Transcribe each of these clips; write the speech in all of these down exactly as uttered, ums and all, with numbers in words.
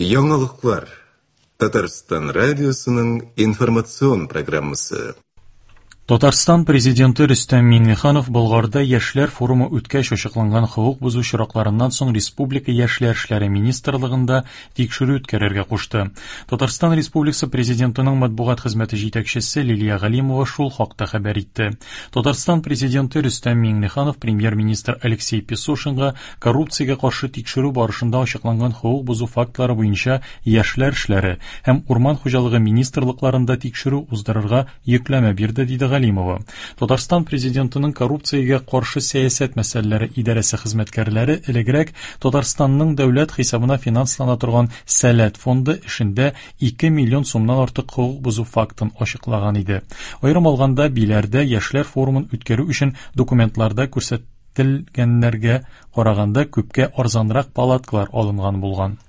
Яңалыклар. Татарстан радиосының информацион программасы. Татарстан президенты Рөстәм Миңнеханов Болгарда яшьләр форумы үткәч ачыкланган хокук бозу очракларыннан соң Республика яшьләр эшләре министрлыгында тикшерү үткәрергә кушты. Татарстан Республикасы президентының матбугат хезмәте җитәкчесе Лилия Галимова шул хакта хәбәр итте. Татарстан президенты Рөстәм Миңнеханов премьер-министр Алексей Песошинга коррупциягә каршы тикшерү барышында ачыкланган хокук бозу фактлары буенча яшьләр эшләре һәм урман хуҗалыгы министрлыкларында тикшерү уздырырга йөкләмә бирде, диде Галимова. Татарстан президентының коррупциягә каршы сәясәт мәсьәләләре идарәсе хезмәткәрләре элегрәк Татарстанның дәүләт хисабына финанслана торган Сәләт фонды эшендә ике миллион сумнан артык хокук бозу фактын ачыклаган иде. Аерым алганда, Биләрдә яшьләр форумын үткәрү өчен документларда күрсәтелгәннәргә караганда күпкә арзанрак палаткалар алынган булган.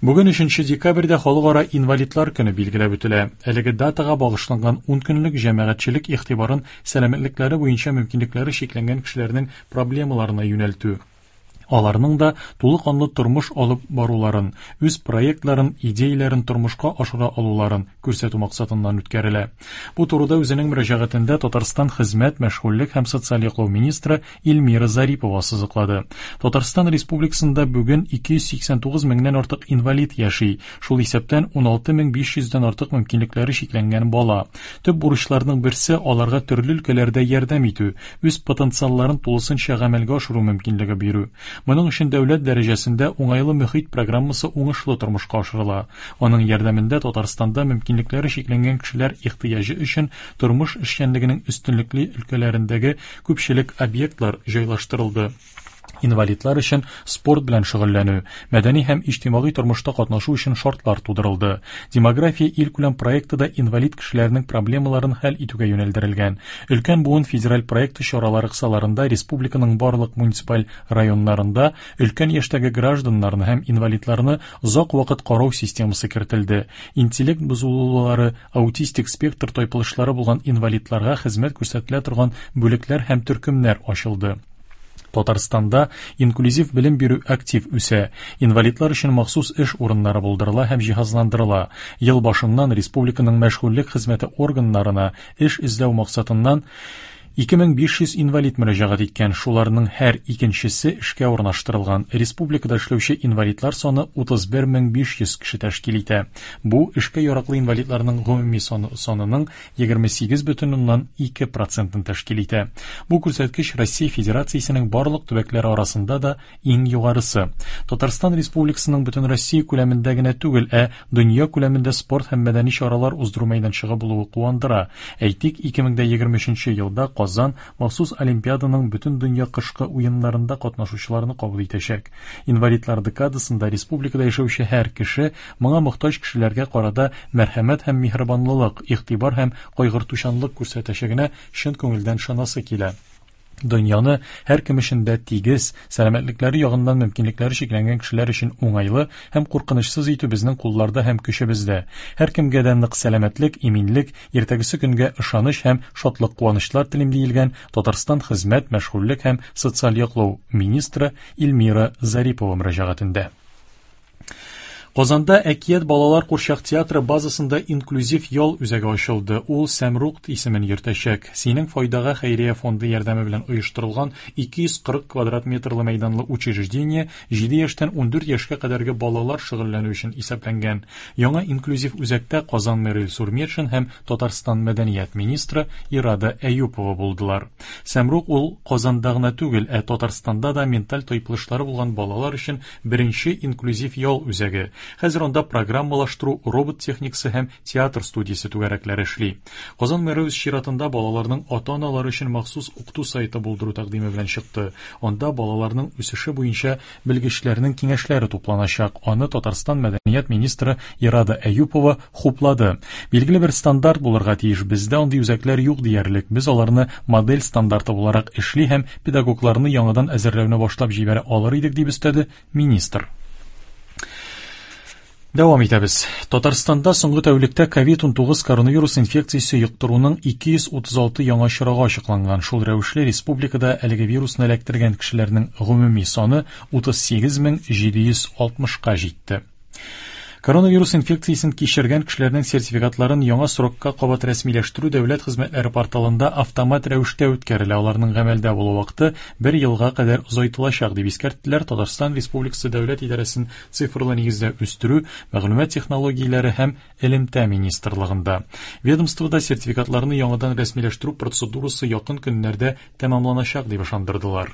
Бүген өченче декабрьдә Халыкара инвалидлар көне билгеләп үтелә. Әлеге датага багышланган ун көнлек җәмәгатьчелек игътибарын сәламәтлекләре буенча мөмкинлекләре чикләнгән кешеләрнең проблемаларына юнәлтү. Аларның да тулы канлы тормыш алып баруларын, үз проектларын, идеяләрен тормышка ашыра алуларын күрсәтү максатыннан үткәрелә. Бу турыда үзенең мөрәҗәгатендә Татарстан хезмәт, мәшгульлек һәм социаль яклау министры Эльмира Зарипова сызыклады. Татарстан Республикасында бүген ике йөз сиксән тугыз меңнән артык инвалид яши, шул исәптән ун алты мең биш йөздән артык мөмкинлекләре чикләнгән бала. Төп бурычларның берсе аларга төрле өлкәләрдә ярдәм итү, үз потенциалларын тулысынча гамәлгә ашыру мөмкинлеге бирү. Моның өчен дәүләт дәрәҗәсендә уңайлы мөхит программасы уңышлы тормышка ашырыла. Аның ярдәмендә Татарстанда мөмкинлекләре чикләнгән кешеләр ихтыяҗы өчен тормыш эшчәнлегенең өстенлекле өлкәләрендәге күпчелек объектлар җайлаштырылды. Инвалидлар өчен спорт белән шөгыльләнү, мәдәни һәм иҗтимагый тормышта катнашу өчен шартлар тудырылды. Демография илкүләм проекты да инвалид кешеләрнең проблемаларын хәл итүгә юнәлдерелгән. Өлкән буын федераль проекты чаралары кысаларында республиканың барлык муниципаль районнарында өлкән яшьтәге гражданнарны һәм инвалидларны озак вакыт карау системасы кертелде. Интеллект бозылулары, аутистик спектр тайпылышлары булган инвалидларга хезмәт күрсәтелә торган бүлекләр һәм төркемнәр ачылды. Татарстанда инклюзив белем бирү актив үсә. Инвалидлар өчен махсус эш урыннары булдырыла һәм җиһазландырыла. Ел башыннан республиканың мәшгульлек хезмәте органнарына эш эзләү максатыннан ике мең биш йөз инвалид мөрәҗәгать иткән, шуларның һәр икенчесе эшкә урнаштырылган. Республикада эшләүче инвалидлар саны утыз бер мең биш йөз кеше тәшкил итә. Бу эшкә яраклы инвалидларның гомуми саны, санының егерме сигез бөтен уннан ике процентын тәшкил итә. Бу күрсәткеч Россия Федерациясенең барлык төбәкләре арасында да иң югарысы. Татарстан Республикасының бөтен Россия күләмендә генә түгел, ә дөнья күләмендә спорт һәм мәдәни чаралар уздыру мәйданчыгы булуы куандыра. Әйтик, ике мең дә егерме өченче елда Казан махсус Олимпиаданың бөтен дөнья кышкы уеннарында катнашучыларны кабул итәчәк. Инвалидлар декадасында республикада яшәүче һәр кеше моңа мохтаҗ кешеләргә карата мәрхәмәт һәм миһербанлылык, игътибар һәм кайгыртучанлык күрсәтәчәгенә чын күңелдән ышанасы килә. Дөньяны һәр кем өчен дә тигез, сәламәтлекләре ягыннан мөмкинлекләре чикләнгән кешеләр өчен уңайлы һәм куркынычсыз итү безнең кулларда һәм көчебездә. Һәр кемгә дә нык сәламәтлек, иминлек, иртәгесе көнгә ышаныч һәм шатлык куанычлар телим, диелгән Татарстан хезмәт, мәшгульлек һәм социаль яклау министры Эльмира Зарипова мөрәҗәгатендә. Казанда Әкият балалар курчак театры базасында инклюзив ял үзәге ачылды. Ул Сәмрук исемен йөртәчәк. Синең файдага хәйрия фонды ярдәме белән оештырылган ике йөз кырык квадрат метрлы мәйданлы учреждение җиде яшьтән ундүрт яшькә кадәрге балалар шөгыльләнү өчен исәпләнгән. Яңа инклюзив үзәктә Казан мэры Илсур Метшин һәм Татарстан мәдәният министры Ирада Әюпова булдылар. Сәмрук ул Казанда гына түгел, ә Татарстанда да менталь тайпылышлары булган балалар өчен беренче инклюзив ял үзәге. Хәзер анда программалаштыру, робот техникасы һәм театр студиясе түгәрәкләре эшли. Казан мэры үз чиратында балаларның ата-аналары өчен махсус укыту сайты булдыру тәкъдиме белән чыкты. Анда балаларның үсеше буенча белгечләрнең киңәшләре тупланачак. Аны Татарстан мәдәният министры Ирада Әюпова хуплады. Билгеле бер стандарт булырга тиеш. Бездә андый үзәкләр юк диярлек. Без аларны модель стандарты буларак эшли һәм педагогларны яңадан әзерләүне башлап җибәрә алыр идек, дип өстәде министр. Дәвам итәбез. Татарстанда соңгы тәүлектә ковид унтугыз коронавирус инфекциясе йоктыруның ике йөз утыз алты яңа очрагы ачыкланган. Шул рәвешле республикада әлеге вирусны эләктергән кешеләрнең гомуми саны утыз сигез мең җиде йөз алтмышка җитте. Коронавирус инфекциясен кичергән кешеләрнең сертификатларын яңа срокка кабат рәсмиләштерү дәүләт хезмәтләре порталында автомат рәвештә үткәрелә. Аларның гамәлдә булу вакыты бер елга кадәр озайтылачак, дип искәрттеләр Татарстан Республикасы Дәүләт идарәсен цифрлы нигездә үстерү, мәгълүмат технологияләре һәм элемтә министрлыгында. Ведомствода сертификатларны яңадан рәсмиләштерү процедурасы якын көннәрдә тәмамланачак, дип ышандырдылар.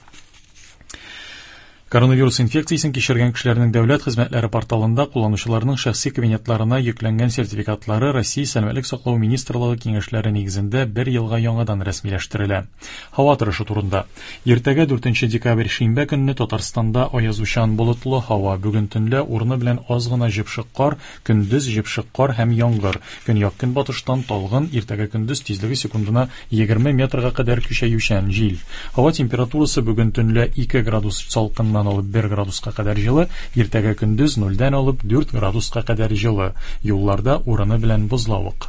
Коронавирус инфекциясен кичергән кешеләрнең дәүләт хезмәтләре порталында кулланучыларның шәхси кабинетларына йөкләнгән сертификатлары Россия Сәламәтлек саклау министрлыгы киңәшләре нигезендә бер елга яңадан рәсмиләштерелә. Һава торышы турында. Иртәгә дүртенче декабрь шимбә көнне Татарстанда аязучан болытлы һава. Бүген төнлә урыны белән аз гына җепшек кар, көндез җепшек кар һәм яңгыр. Көньяк-көнбатыштан талгын, иртәгә көндез тизлеге секундына егерме метрга кадәр көчәючән җил. Һава температурасы бүген төнлә ике градус салкыннан алып бер градуска кадәр җылы, иртәгә көндез нульдән алып дүрт градуска кадәр җылы. Юлларда урыны белән бозлавык.